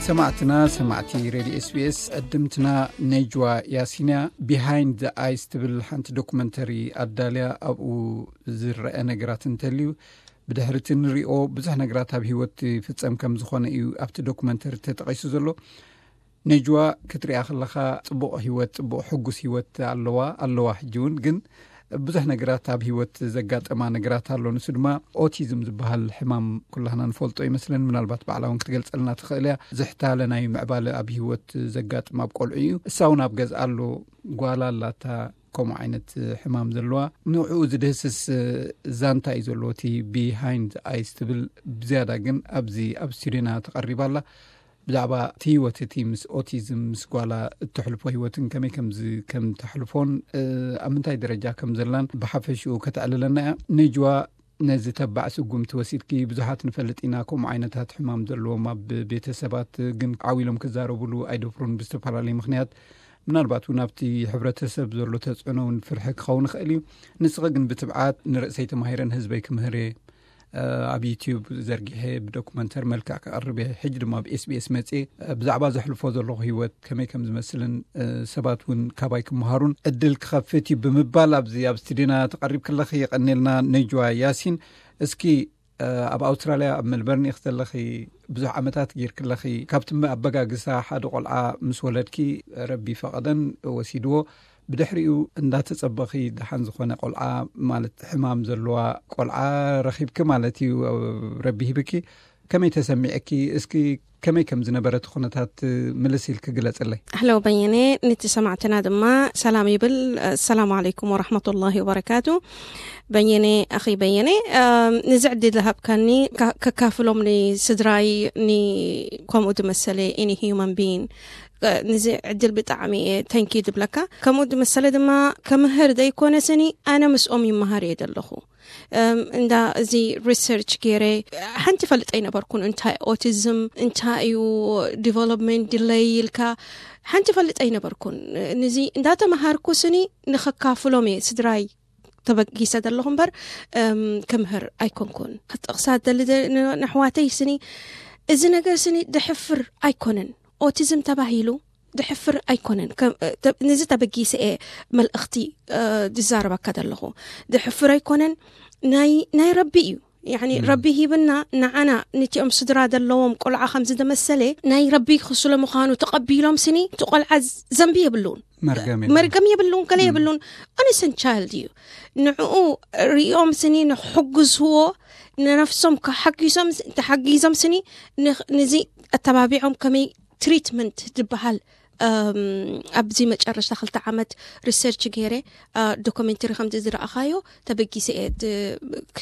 ሰማዕትና፣ ሰማዕቲ ሬድዮ ኤስቢኤስ፣ ዕድምትና ነጅዋ ያሲንያ ቢሃይንድ ዘ ኣይስ ትብል ሓንቲ ዶኩመንተሪ ኣዳልያ። ኣብኡ ዝረአ ነገራት እንተልዩ፣ ብድሕርቲ ንሪኦ ብዙሕ ነገራት ኣብ ህይወት ፍጸም ከም ዝኾነ እዩ ኣብቲ ዶኩመንተሪ ተጠቒሱ ዘሎ። ነጅዋ ክትሪኣ ከለኻ ጽቡቕ ህይወት፣ ጽቡቕ ሕጉስ ህይወት ኣለዋ፣ ኣለዋ። ሕጂ እውን ግን ብዙሕ ነገራት ኣብ ህይወት ዘጋጠማ ነገራት ኣሎ። ንሱ ድማ ኦቲዝም ዝበሃል ሕማም ኩላህና ንፈልጦ ይመስለን። ምናልባት ባዕላ እውን ክትገልጸልና ትኽእል እያ። ዝሕታለ ናይ ምዕባለ ኣብ ህይወት ዘጋጥም ኣብ ቆልዑ እዩ። እሳ እውን ኣብ ገዝኣ ኣሎ፣ ጓላ ኣላታ ከምኡ ዓይነት ሕማም ዘለዋ። ንዕኡ ዝድህስስ ዛንታ እዩ ዘለዎ እቲ ቢሃይንድ ኣይስ ትብል። ብዝያዳ ግን ኣብዚ ኣብ ስቱዲዮና ተቐሪባ ኣላ። ብዛዕባ እቲ ህይወት እቲ ምስ ኦቲዝም ምስ ጓላ እትሕልፎ ህይወትን ከመይ ከምዚ ከም ተሕልፎን፣ እ፣ ኣብ ምንታይ ደረጃ ከም ዘላን ብሓፈሽኡ ከተዕልለና እያ። ነጅዋ፣ ነዚ ተባዕ ስጉምቲ ወሲድኪ። ብዙሓት ንፈልጥ ኢና ከምኡ ዓይነታት ሕማም ዘለዎም ኣብ ቤተሰባት፣ ግን ዓው ኢሎም ክዛረቡሉ ኣይደፍሩን ብዝተፈላለየ ምኽንያት። ምናልባት እውን ኣብቲ ሕብረተሰብ ዘሎ ተጽዕኖ እውን ፍርሒ ክኸውን ይኽእል እዩ። ንስኺ ግን ብትብዓት፣ "ንርእሰይ ተማሂረ ንህዝበይ ክምህር እየ፣ እ፣ ኣብ ዩትዩብ ዘርጊሐ ብዶኩመንተሪ መልክዕ ክቐርብ እየ፣ ሕጂ ድማ ኣብ ኤስቢኤስ መጽየ፣ እ፣ ብዛዕባ ዘሕልፎ ዘለኹ ህይወት ከመይ ከም ዝመስልን፣ እ፣ ሰባት እውን ካባይ ክመሃሩን ዕድል ክኸፍት እዩ" ብምባል ኣብዚ ኣብ ስቱዲዮና ተቐሪብኪ ኣለኺ። የቐንየልና ነጅዋ ያሲን። እስኪ፣ እ፣ ኣብ ኣውስትራልያ ኣብ ሜልበርን ኢኺ ዘለኺ፣ ብዙሕ ዓመታት ጌርኪ ኣለኺ። ካብቲ ኣበጋግሳ ሓደ ቆልዓ ምስ ወለድኪ፣ ረቢ ፈቐደን ወሲድዎ፣ ብድሕሪኡ እንዳተጸበኺ ደሓን ዝኾነ ቆልዓ፣ ማለት ሕማም ዘለዋ ቆልዓ ረኺብኪ ማለት እዩ፣ ረቢ ሂብኪ። ከመይ ተሰሚዕኪ? እስኪ ከመይ ከም ዝነበረ እቲ ኩነታት ምልስ ኢልኪ ግለጽለይ። ኣሕለው በየነ፣ ነቲ ሰማዕትና ድማ ሰላም ይብል። ሰላም ዓለይኩም ወረሕመቱላሂ ወበረካቱ። በየነ፣ ኣኺ በየነ፣ ኣም፣ ነዚ ዕድል ዝሃብካኒ ካ-፣ ከካፍሎም ንስድራይ፣ ን-፣ ከምኡ ዝመሰለ any human being፣ እ፣ ነዚ ዕድል ብጣዕሚ እየ thank you ዝብለካ። ከምኡ ዝመሰለ ድማ ከምህር ዘይኮነ ስኒ፣ ኣነ ምስኦም ይመሃር እየ ዘለኹ። እም፣ እንዳ እዚ ሪሰርች ገይረ ሓንቲ ፈልጠ ኣይነበርኩን። እንታይ ኦቲዝም፣ እንታይ እዩ ዲቨሎፕመንት ዲለይ ኢልካ ሓንቲ ፈልጠ ኣይነበርኩን። ንዚ እንዳተመሃርኩ ስኒ ንኸካፍሎም እየ ስድራይ ተበጊሰ ዘለኹ እምበር፣ እም፣ ክምህር ኣይኮንኩን። ክጠቕሳ ደሊ ደ-፣ ን-፣ ንኣሕዋተይ ስኒ፣ እዚ ነገር ስኒ ድሕፍር ኣይኮነን። ኦቲዝም ተባሂሉ ድሕፍር ኣይኮነን። ከም፣ እ፣ ተ-፣ ነዚ ተበጊሰ እየ መልእኽቲ፣ እ፣ ዝዛረበካ ዘለኹ። ድሕፍር ኣይኮነን፣ ናይ፣ ናይ ረቢ እዩ። ያኒ፣ እም። ረቢ ሂብና ንዓና፣ ነቲኦም ስድራ ዘለዎም ቆልዓ ከም ዝደመሰለ ናይ ረቢ ክስለ ምዃኑ ተቐቢሎም ስኒ፣ እቲ ቆልዓ ዘንቢ የብሉን። መርገም የብሉን። መርገም የብሉን፣ ገለ እም። የብሉን። ኦነስን ቻይልድ እዩ። ንዕኡ ሪኦም ስኒ ንክሕግዝዎ፣ ንነፍሶም ክሓጊዞም፣ ተሓጊዞም ስኒ ንኽ-፣ ነዚ ኣተባቢዖም ከመይ ትሪትመንት ዝበሃል፣ እም፣ ኣብዚ መጨረሽታ ክልተ ዓመት ሪሰርች ገይረ፣ እ፣ ዶኩሜንተሪ ከምዚ ዝረኣኻዮ ተበጊሰ እየ ድ-፣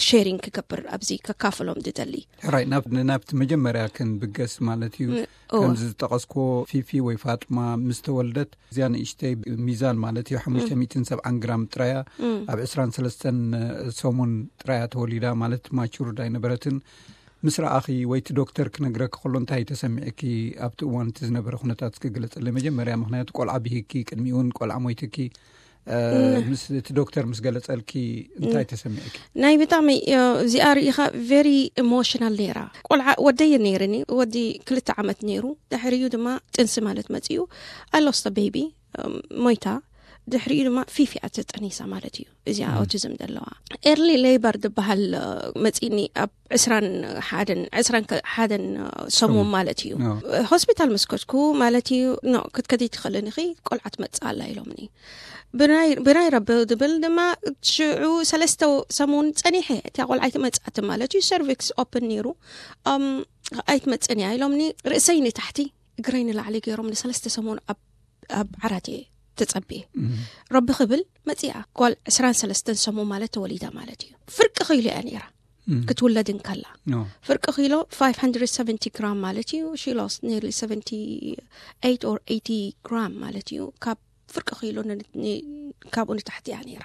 ሼሪንግ ክገብር ኣብዚ ከካፍሎም ዝደሊ። ሕራይ፣ ናብ-፣ ናብቲ መጀመርያ ክንብገስ ማለት እዩ። ን-፣ እወ። ከምዚ ዝጠቐስክዎ ፊፊ ወይ ፋጡማ ምስ ተወልደት፣ እዚኣ ንእሽተይ ሚዛን ማለት እዩ፣ ሓሙሽተ ሚእትን ሰብዓን ግራም ጥራያ፣ እም። ኣብ ዕስራን ሰለስተን ሰሙን ጥራያ ተወሊዳ ማለት ማቹርድ ኣይነበረትን። ምስ ረኣኺ ወይ እቲ ዶክተር ክነግረኪ ከሎ እንታይ ተሰሚዕኪ? ኣብቲ እዋን እቲ ዝነበረ ኩነታት እስኪ ግለጽለይ። መጀመርያ ምኽንያቱ ቆልዓ ብሂኪ፣ ቅድሚኡ እውን ቆልዓ ሞይትኪ፣ እ፣ እም። ምስ እቲ ዶክተር ምስ ገለጸልኪ እንታይ እም። ተሰሚዕኪ? ናይ ብጣዕሚ፣ እ፣ እዚኣ ርኢኻ ቨሪ ኢሞሽናል ነይራ። ቆልዓ ወደይ ነይርኒ፣ ወዲ ክልተ ዓመት ነይሩ። ድሕሪኡ ድማ ጥንሲ ማለት መጺኡ። I lost a baby፣ እም፣ ሞይታ። ድሕሪኡ ድማ ፊፊ እያ ተጠኒሳ ማለት እዩ። እዚኣ እም። ኦቲዝም ዘለዋ። ኤርሊ ሌበር ዝበሃል፣ እ፣ መጺኒ ኣብ ዕስራን ሓደን፣ ዕስራን ሓደን ሰሙን ሰሙን። ማለት እዩ። ኖ። ሆስፒታል ምስ ከድኩ ማለት እዩ፣ ኖ፣ ክትከዲ ትኽእልን ኢኺ፣ ቆልዓ ትመጽእ ኣላ ኢሎምኒ። ብናይ፣ ብናይ ረቢ ዝብል ድማ ሽዑ ሰለስተ ሰሙን ጸኒሐ፣ እታ ቆልዓ ኣይትመጽኣትን ማለት እዩ። ሰርቪክስ ኦፕን ነይሩ። እም፣ ኣይትመጽእን እያ ኢሎምኒ። ርእሰይ ንታሕቲ፣ እግረይ ንላዕሊ ገይሮም ንሰለስተ ሰሙን ኣብ፣ ኣብ ዓራት እየ ተጸብየ። እም። ረቢ ክብል መጺኣ። ጓል ዕስራን ሰለስተን ሰሙን ማለት ተወሊዳ ማለት እዩ። ፍርቂ ኪሎ እያ ነይራ። እም። ክትውለድ እንከላ። ኖ። ፍርቂ ኪሎ ፋይቭ ሃንድረድ ሰቨንቲ ግራም ማለት እዩ። She lost nearly seventy-eight or eighty gram ማለት እዩ። ካብ ፍርቂ ኪሎ ን-፣ ን-፣ ካብኡ ንታሕቲ እያ ነይራ።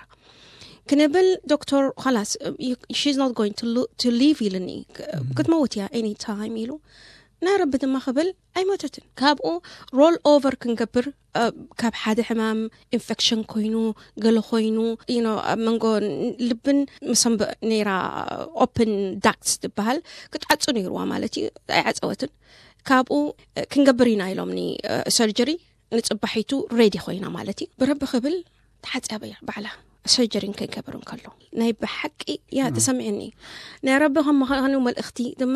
ክንብል ዶክተር፣ "ኸላስ፣ you፣ she's not going to lo-, to live" ኢልኒ። ክ-፣ እም። "ክትመውት እያ any time" ኢሉ። ናይ ረቢ ድማ ክብል ኣይሞተትን። ካብኡ ሮል ኦቨር ክንገብር፣ እ፣ ካብ ሓደ ሕማም ኢንፌክሽን ኮይኑ፣ ገለ ኮይኑ፣ you know፣ ኣብ መንጎ ልብን መሰንብእ ነይራ፣ ኦፕን ዳክትስ ዝበሃል ክትዓጹ ነይርዋ ማለት እዩ። ኣይዓጸወትን። ካብኡ ክንገብር ኢና ኢሎምኒ። ሰርጀሪ ንፅባሒቱ ሬዲ ኮይና ማለት እዩ። ብረቢ ክብል ተሓፅያ ባዕላ ሰርጀሪን ከይገብር እንከሎ ናይ ብሓቂ ያ ተሰሚዕኒ። ናይ ረቢ ከም ምዃኑ መልእኽቲ ድማ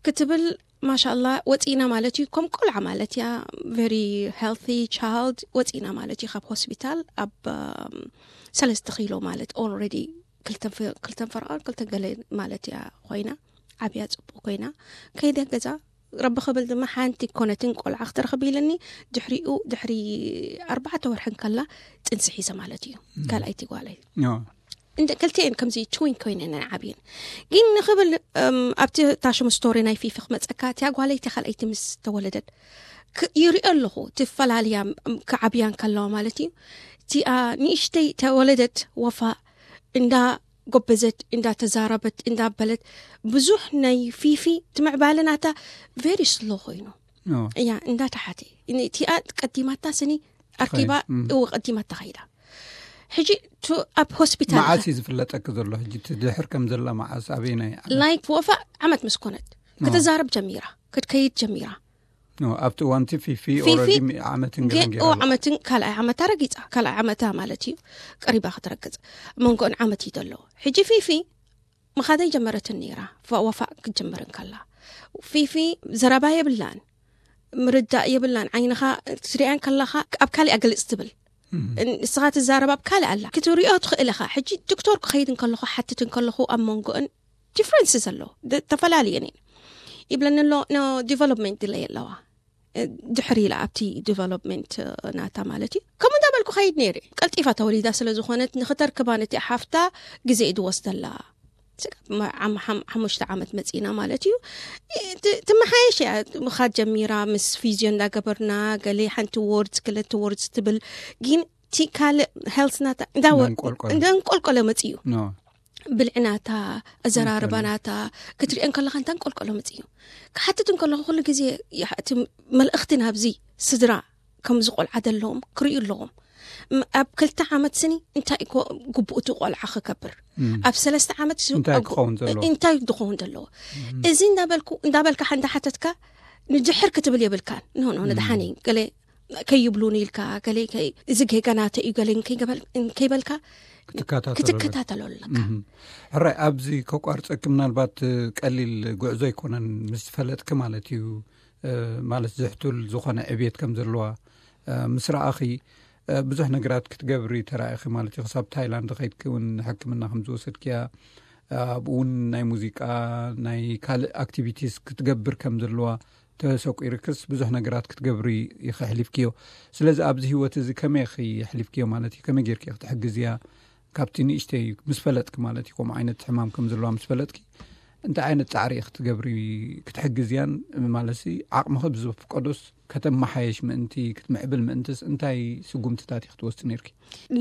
ክትብል ማሻላ ወፂና ማለት እዩ። ከም ቆልዓ ማለት እያ፣ very healthy child ወፂና ማለት እዩ ካብ ሆስፒታል ኣብ ሰለስተ ኪሎ ማለት already ክልተን ፈረቓን ክልተን ገለ ማለት እያ ኮይና ዓብያ ፅቡቅ ኮይና ከይደ ገዛ ረቢ ክብል ድማ ሓንቲ ኮነትን ቆልዓ ክትረኽብ ኢለኒ። ድሕሪኡ ድሕሪ ኣርባዕተ ወርሒ ከላ ጥንሲ ሒዘ ማለት እዩ። ካልኣይቲ ጓለይ እንደ ክልቲኤን ከምዚ ትዊን ኮይነን ዓብየን ግን ንኽብል ኣብቲ ታሽም ስቶሪ ናይ ፊፊ ክመፀካ እቲያ ጓለይቲ ካልኣይቲ ምስ ተወለደት ይሪኦ ኣለኹ። ትፈላልያ ክዓብያን ከለዋ ማለት እዩ። እቲኣ ንእሽተይ ተወለደት ወፋ እንዳ ጎበዘት እንዳ ተዛረበት እንዳ በለት ብዙሕ ናይ ፊፊ ትምዕባለ ናታ very slow ኮይኑ እያ እንዳ ተሓተ እቲኣ ቀዲማታ ስኒ ኣርኪባ እወ ቀዲማታ ከይዳ። ሕጂ ኣብ ሆስፒታል መዓስ እዩ ዝፍለጠኪ ዘሎ? ሕጂ ትድሕር ከም ዘላ መዓስ ኣበይናይ ላይክ ወፋ ዓመት ምስ ኮነት ክትዛረብ ጀሚራ ክትከይድ ጀሚራ። ኣብቲ እዋንቲ ፊፊ ዓመትን ገለን ገይራ ዓመትን ካልኣይ ዓመታ ረጊፃ ካልኣይ ዓመታ ማለት እዩ ቀሪባ ክትረግፅ መንጎን ዓመት እዩ ዘሎ። ሕጂ ፊፊ ምኻደይ ጀመረትን ነይራ። ወፋእ ክትጀምር እንከላ ፊፊ ዘረባ የብላን ምርዳእ የብላን። ዓይንኻ ትሪኣን ከለኻ ኣብ ካሊእ ኣገልፅ ትብል ንስኻ ትዛረብ ኣብ ካልእ ኣላ ክትሪኦ ትኽእል ኢኻ። ሕጂ ዶክተር ክኸይድ እንከለኹ ሓትት እንከለኹ ኣብ መንጎእን ዲፍረንስ ዘሎ ተፈላለየን እየን ይብለኒ ኣሎ። ኖ ዲቨሎፕመንት ድለይ ኣለዋ ድሕሪ ኢላ ኣብቲ ዲቨሎፕመንት ናታ ማለት እዩ። ከምኡ እንዳበልኩ ኸይድ ነይረ። ቀልጢፋ ተወሊዳ ስለ ዝኾነት ንኽተርክባ ነቲ ሓፍታ ግዜ እዩ ዝወስደላ። ሓሙሽተ ዓመት መፂና ማለት እዩ። ትመሓየሽ እያ ምኻድ ጀሚራ ምስ ፊዝዮ እንዳገበርና ገለ ሓንቲ ወርድስ ክልተ ወርድስ ትብል ግን እቲ ካልእ ሄልስ ናታ እንዳንቆልቆለ መፅእ እዩ። ብልዕናታ ኣዘራርባናታ ክትሪኦ እንከለኻ እንታ እንቆልቆሎ መፅእ እዩ። ክሓትት እንከለኹ ኩሉ ግዜ እቲ መልእኽቲ ናብዚ ስድራ ከምዚ ቆልዓ ዘለዎም ክርእዩ ኣለዎም። ኣብ ክልተ ዓመት ስኒ እንታይ ግቡእቲ ቆልዓ ክከብር ኣብ ሰለስተ ዓመት እንታይ ድኸውን ዘለዎ እዚ እንዳበልካ እንዳሓተትካ ንድሕር ክትብል የብልካን። ኖ ኖ ንድሓን እዩ ገለ ከይብሉን ኢልካ ገለ እዚ ጌጋናተ እዩ ገለ ከይበልካ ክትከታተሎ ኣለካ። ሕራይ ኣብዚ ከቋርፀኪ ምናልባት ቀሊል ጉዕዞ ኣይኮነን ምስ ፈለጥኪ ማለት እዩ። ማለት ዝሕቱል ዝኾነ ዕብየት ከም ዘለዋ ምስ ረኣኺ ብዙሕ ነገራት ክትገብሪ ተራኢኺ ማለት እዩ። ክሳብ ታይላንድ ከይድኪ እውን ሕክምና ከም ዝወሰድክያ ኣብኡ እውን ናይ ሙዚቃ ናይ ካልእ ኣክቲቪቲስ ክትገብር ከም ዘለዋ ተሰቂርክስ ብዙሕ ነገራት ክትገብሪ ኢኺ ኣሕሊፍክዮ። ስለዚ ኣብዚ ህይወት እዚ ከመይ ኢኺ ኣሕሊፍክዮ ማለት እዩ? ከመይ ጌርኪ ኢኺ ትሕግዝያ? ካብቲ ንእሽተይ ምስ ፈለጥኪ ማለት እዩ፣ ከምኡ ዓይነት ሕማም ከም ዘለዋ ምስ ፈለጥኪ እንታይ ዓይነት ፃዕሪ ኢኺ ትገብሪ ክትሕግዝያን ማለት ዓቕምኺ ብዝፍቀዶስ ከተመሓየሽ ምእንቲ ክትምዕብል ምእንትስ እንታይ ስጉምትታት ኢኺ ትወስዲ ነይርኪ?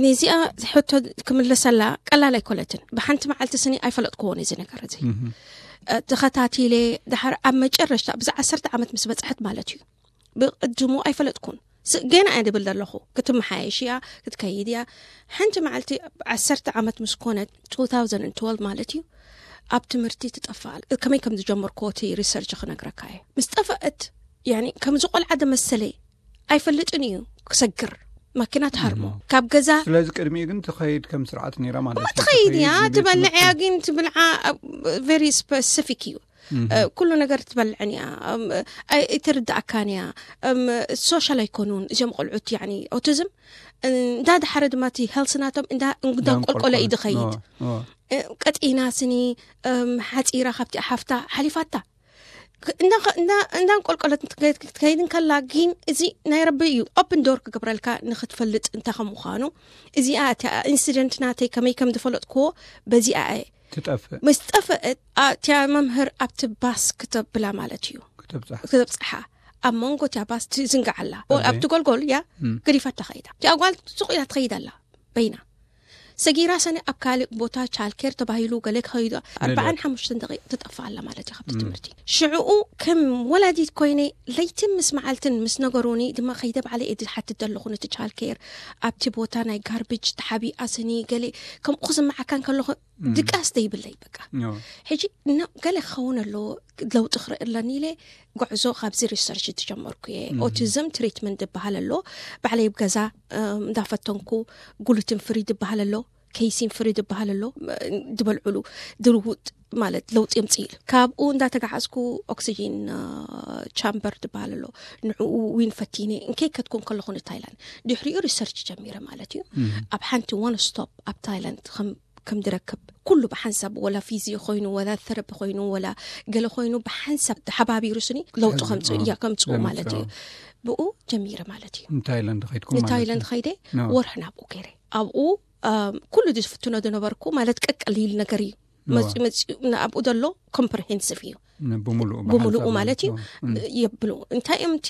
ነዚኣ ሕቶ ክምለሰላ ቀላል ኣይኮነትን። ብሓንቲ መዓልቲ ስኒ ኣይፈለጥክዎን እዚ ነገር እዚ ተኸታቲለ ድሓር ኣብ መጨረሽታ ብዛ ዓሰርተ ዓመት ምስ በፅሐት ማለት እዩ። ብቅድሙ ኣይፈለጥኩን ገና እየ ድብል ዘለኹ ክትመሓየሽ እያ ክትከይድ እያ። ሓንቲ መዓልቲ ዓሰርተ ዓመት ምስ ኮነት two thousand twelve ማለት እዩ ኣብ ትምህርቲ ትጠፍኣል። ከመይ ከም ዝጀመርኩዎ እቲ ሪሰርች ክነግረካ እየ። ምስ ጠፍአት ከምዚ ቆልዓ ደመሰለ ኣይፈልጥን እዩ ክሰግር ማኪና ትሃርሞ ካብ ገዛ። ስለዚ ቅድሚኡ ግን ትኸይድ ከም ስርዓት ነይራ ማለት እዩ። ትኸይድ እያ ትበልዕ እያ ግን ትብልዓ very specific እዩ። ኩሉ ነገር ትበልዕን እያ። ኣይትርዳእካን እያ። ሶሻል ኣይኮኑን እዚኦም ቆልዑት ኦቲዝም። እንዳ ድሓረ ድማ እቲ ሄልስ ናቶም እንዳ እንቆልቆለ እዩ ድኸይድ። ቀጢና ስኒ ሓፂራ ካብቲ ሓፍታ ሓሊፋታ እንዳንቆልቆለት ክትከይድ እንከላ ግን እዚ ናይ ረቢ እዩ። ኦፕን ዶር ክገብረልካ ንክትፈልጥ እንታይ ከም ምዃኑ። እዚኣ እቲኣ ኢንሲደንት ናተይ ከመይ ከም ዝፈለጥክዎ በዚኣ እየ። ትጠፍእ ምስ ጠፍአት እቲያ መምህር ኣብቲ ባስ ክተብላ ማለት እዩ። ክትብፅሓ ኣብ መንጎ እቲያ ባስ ትዝንግዓላ። ኣብቲ ጎልጎል እያ ገዲፋ ተኸይዳ። እቲኣ ጓል ሱቕ ኢላ ትኸይድ ኣላ በይና ሰጊራ ሰነ ኣብ ካልእ ቦታ ቻልኬር ተባሂሉ ገለ ክኸይዱ ኣርባዓን ሓሙሽተን ደቂቕ ትጠፍእ ኣላ ማለት እዩ ካብቲ ትምህርቲ። ሽዕኡ ከም ወላዲት ኮይነ ለይትን ምስ መዓልትን ምስ ነገሩኒ ድማ ከይደ ባዕለ እየ ዝሓትት ዘለኹ ነቲ ቻልኬር ኣብቲ ቦታ ናይ ጋርብጅ ተሓቢኣ ስኒ ገለ ከምኡ ክስምዓካ እንከለኹ ድቃስ ዘይብለይ በቃ። ሕጂ ገለ ክኸውን ኣለዎ ለውጢ ክርኢ ኣለኒ ኢለ ጉዕዞ ካብዚ ሪሰርች ዝጀመርኩ እየ። ኦቲዝም ትሪትመንት ዝበሃል ኣሎ፣ ባዕለይ ኣብ ገዛ እንዳፈተንኩ፣ ግሉትን ፍሪ ዝበሃል ኣሎ፣ ኬይሲን ፍሪ ዝበሃል ኣሎ፣ ዝበልዕሉ ድርውጥ ማለት ለውጢ የምፅእ ኢሉ። ካብኡ እንዳተጋዓዝኩ ኦክሲጂን ቻምበር ዝበሃል ኣሎ፣ ንዕኡ ዊን ፈቲነ እንከይከድኩ እንከለኹ ንታይላንድ ድሕሪኡ ሪሰርች ጀሚረ ማለት እዩ። ኣብ ሓንቲ ዋን ስቶፕ ኣብ ታይላንድ ከም ከም ድረክብ ኩሉ ብሓንሳብ፣ ወላ ፊዚዮ ኮይኑ፣ ወላ ተረቢ ኮይኑ፣ ወላ ገለ ኮይኑ፣ ብሓንሳብ ተሓባቢሩ ስኒ ለውጡ ከምፅኡ እያ ከምፅኡ ማለት እዩ። ብኡ ጀሚረ ማለት እዩ። ንታይላንድ ኸይድኩም ማለት እዩ? ንታይላንድ ኸይደ ወርሒ ናብኡ ገይረ ኣብኡ ኩሉ ዝፍትኖ ዝነበርኩ ማለት ቀቀሊል ነገር እዩ። መፂኡ መፂኡ ኣብኡ ዘሎ ኮምፕሬሄንሲቭ እዩ። ብምሉኡ ብምሉኡ ማለት እዩ። የብሉ እንታይ እዮም እቲ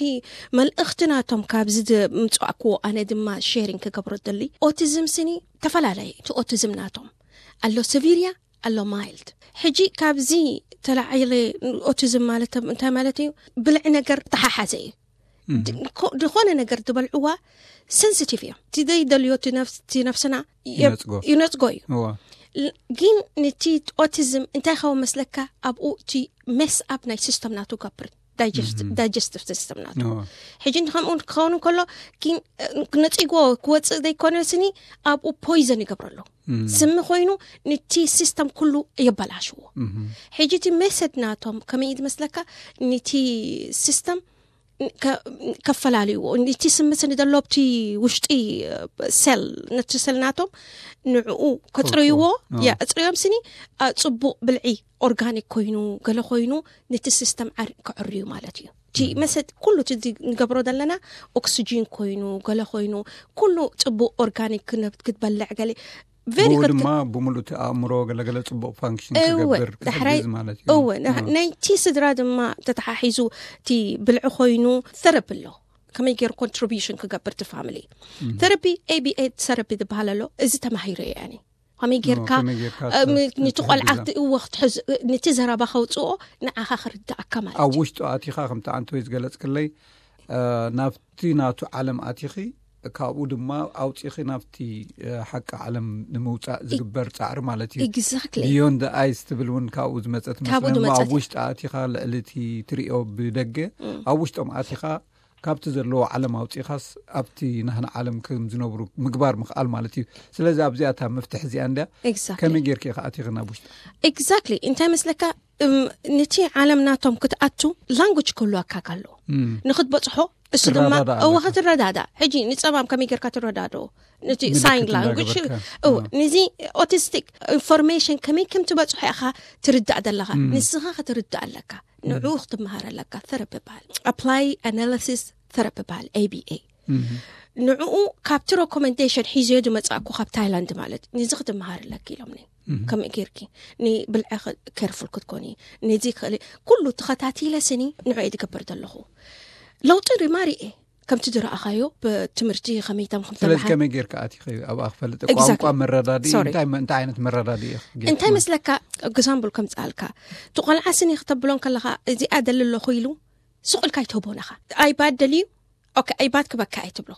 መልእኽቲ ናቶም ካብዚ ምፅዋዕክዎ? ኣነ ድማ ሼሪንግ ክገብሮ ደሊ። ኦቲዝም ስኒ ተፈላለየ። እቲ ኦቲዝም ናቶም ኣሎ ሰቪርያ ኣሎ ማይልድ። ሕጂ ካብዚ ተላዒለ ኦቲዝም ማለት እንታይ ማለት እዩ? ብልዒ ነገር ተሓሓዘ እዩ። ዝኾነ ነገር ዝበልዕዋ ሰንሲቲቭ እዮም። እቲ ዘይደልዮ እቲ ነፍስና ይነፅጎ እዩ። ግን ነቲ ኦቲዝም እንታይ ኸው መስለካ ኣብኡ እቲ ሜስ ኣብ ናይ ሲስተም ናቱ ገብር ዳይጀስቲቭ ሲስተም ናቱ። ሕጂ ከምኡ ክኸውን ከሎ ግን ነፂጎ ክወፅእ ዘይኮነ ስኒ ኣብኡ ፖይዘን ይገብረሉ። ስሚ ኮይኑ ነቲ ሲስተም ኩሉ የበላሽዎ። ሕጂ እቲ ሜሰድ ናቶም ከመይ ዝመስለካ ነቲ ሲስተም ከፈላልይዎ፣ ነቲ ስሚ ስኒ ዘሎ ኣብቲ ውሽጢ ሴል ነቲ ሴል ናቶም ንዕኡ ከፅርይዎ። ያ እፅርዮም ስኒ ፅቡቕ ብልዒ ኦርጋኒክ ኮይኑ ገለ ኮይኑ ነቲ ሲስተም ከዕርዩ ማለት እዩ። እቲ መሰድ ኩሉ እቲ ንገብሮ ዘለና ኦክሲጂን ኮይኑ ገለ ኮይኑ ኩሉ ፅቡቕ ኦርጋኒክ ክትበልዕ ገለ ብኡ ድማ ብምሉእ እቲ ኣእምሮ ገለገለ ፅቡቅ ፋንክሽን ክገብር ክሕግዝ ማለት እዩ። እወ ናይቲ ስድራ ድማ ተተሓሒዙ እቲ ብልዒ ኮይኑ ተረቢ ኣሎ። ከመይ ገይሩ ኮንትሪቢሽን ክገብር እቲ ፋሚሊ ተረቢ ኤቢኤ ተረቢ ዝበሃል ኣሎ። እዚ ተማሂሩ እየ ኣነ ከመይ ጌርካ ነቲ ቆልዓ ክትእወ ክትሕዝ ነቲ ዘረባ ከውፅኦ ንዓኻ ክርዳእካ ማለት ኣብ ውሽጡ ኣቲኻ ከምቲ ኣንቲ ወይ ዝገለፅክለይ ናብቲ ናቱ ዓለም ኣቲኺ ካብኡ ድማ ኣውፂኺ ናብቲ ሓቂ ዓለም ንምውፃእ ዝግበር ፃዕሪ ማለት እዩ። Exactly። Beyond the eyes ትብል እውን ካብኡ ዝመፀት መስለኒ። ኣብ ውሽጢ ኣቲኻ ልዕሊ እቲ ትሪኦ ብደገ ኣብ ውሽጦም ኣቲኻ ካብቲ ዘለዎ ዓለም ኣውፂኻስ ኣብቲ ናህና ዓለም ከም ዝነብሩ ምግባር ምኽኣል ማለት እዩ። ስለዚ ኣብዚኣ እታ መፍትሒ እዚኣ እንድያ። ከመይ ጌርኪ ኢኻ ኣቲኺ ናብ ውሽጢ? Exactly እንታይ መስለካ ነቲ ዓለም ናቶም ክትኣቱ ላንጉጅ ክህልወካ ኣሎ ንክትበፅሖ እሱ ድማ እወ ክትረዳዳ። ሕጂ ንፀማም ከመይ ጌርካ ትረዳድኦ ነቲ ሳይን ላንጉጅ ነዚ ኦቲስቲክ ኢንፎርሜሽን ከመይ ከም ትበፅሖ ኢኻ ትርዳእ ዘለኻ። ንስኻ ክትርዳእ ኣለካ። ንዕኡ ክትመሃር ኣለካ። ተረቢ በሃል ኣፕላይ ኣናሊሲስ ተረቢ በሃል ኤቢኤ ንዕኡ ካብቲ ሬኮመንዴሽን ሒዝዮ ዝመፃእኩ ካብ ታይላንድ ማለት ነዚ ክትመሃር ኣለኪ ኢሎምኒ። ከመይ ጌርኪ ንብልዒ ኬርፉል ክትኮኒ ነዚ ክእል ኩሉ ተኸታቲለ ስኒ ንዕኡ ዝገብር ዘለኹ ለውጢ ሪማሪ እየ ከምቲ ዝረኣኻዮ ብትምህርቲ ከመይ ተምኹም ስለዚ ተምሃር ከመይ ጌርካ ኣቲኺ ኣብኣ ክፈልጥ Exactly. ቋንቋ መረዳድኢ Sorry. እንታይ እንታይ ዓይነት መረዳድኢ ኢኺ ጌርኪ? እንታይ መስለካ ግዛምብል ከምፅኣልካ እቲ ቆልዓ ስኒ ክተብሎ ከለኻ እዚኣ ደሊ ኣለኹ ኢሉ ስቕ ኢልካ ኣይትህቦን ኢኻ። ኣይባድ ደልዩ ኦኬ ኣይባድ ክበካ እየ ትብሎ።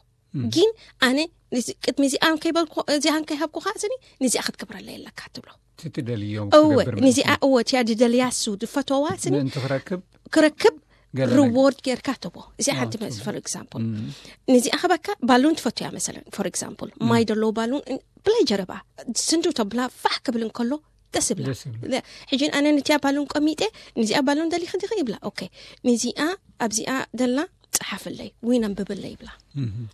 ግን ኣነ ንዚ- ቅድሚ እዚኣ ከይበልኩ እዚኣ ከይሃብኩኻ ስኒ ንዚኣ ክትገብረለይ ኣለካ ትብሎ። እቲ ትደልዮ እወ ክገብር ንዚኣ እወ እቲያ ዝደልያ እሱ ዝፈተዋ ስኒ ምእንቲ ክረክብ ክረክብ ገለ ነገር። ሪዎርድ ጌርካ ትቦ እዚኣ ሓንቲ መ for example ንዚኣ ክበካ ባሉን ትፈቱ እያ መሰለን for example ማይ ደለዎ ባሉን ብላይ ጀረባ ስንዱ ተብላ ፋሕ ክብል እንከሎ ደስ ይብላ ደስ ይብላ። ሕጂ ኣነ ንቲያ ባሉን ቀሚጠ ንዚኣ ባሉን ደሊኺ ዲኺ ይብላ ኦኬ ንዚኣ ኣብዚኣ ደላ ፀሓፍለይ ወይ ነንብብለይ ይብላ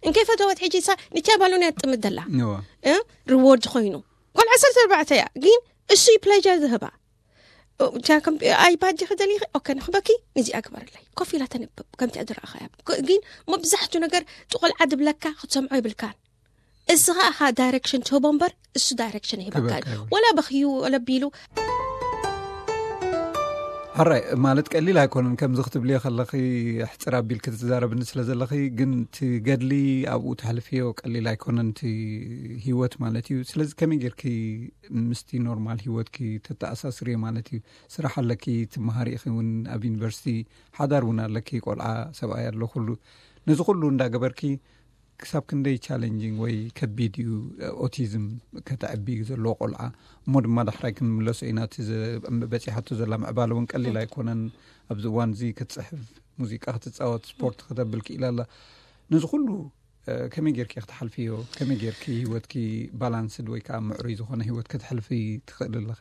እንከይ ፈተወት ሕጂ ሳ ንቲያ ባሉን እያ ትጥምት ደላ እዋ። እ? ሪዎርድ ኮይኑ ቆልዓ ዓሰርተ ኣርባዕተ እያ ግን እሱ ፕሌጀር ዝህባ ኣይባድ ዲኺ ደሊኺ ኦኬ ንኽበኪ ንዚኣ ግበርለይ ኮፍ ኢላ ተንብብ ከምቲ ዝረኣኻያ ግን መብዛሕቱ ነገር ጥቆልዓ ድብለካ ክትሰምዖ ይብልካን እስኻ ኢኻ ዳይሬክሽን ትህቦ እምበር እሱ ዳይሬክሽን ይህበካ ክበካ ይብል። ወላ በኽዩ ወላ ቢሉ ሕራይ ማለት ቀሊል ኣይኮነን ከምዚ ክትብልዮ ከለኺ ሕፅር ኣቢል ክትዛረብኒ ስለ ዘለኺ ግን እቲ ገድሊ ኣብኡ ተሕልፍዮ ቀሊል ኣይኮነን እቲ ህይወት ማለት እዩ። ስለዚ ከመይ ጌርኪ ምስቲ ኖርማል ህይወትኪ ተተኣሳስርዮ ማለት እዩ? ስራሕ ኣለኪ ትመሃሪ ኢኺ እውን ኣብ ዩኒቨርሲቲ ሓዳር እውን ኣለኪ ቆልዓ ሰብኣይ ኣሎ ኩሉ ነዚ ኩሉ እንዳገበርኪ ክሳብ ክንደይ ቻለንጂንግ ወይ ከቢድ እዩ ኦቲዝም ከተዕቢ ዘለዎ ቆልዓ? እሞ ድማ ዳሕራይ ክንምለሶ ኢና። እቲ በፂሓቶ ዘላ ምዕባለ እውን ቀሊል ኣይኮነን። ኣብዚ እዋን እዚ ክትፅሕፍ፣ ሙዚቃ ክትፃወት፣ ስፖርት ክተብል ክኢላ ኣላ። ነዚ ኩሉ ከመይ ጌርኪ ክትሓልፍዮ? ከመይ ጌርኪ ህይወትኪ ባላንስድ ወይ ከዓ ምዕሩይ ዝኾነ ህይወት ክትሕልፊ ትኽእል ኣለኺ?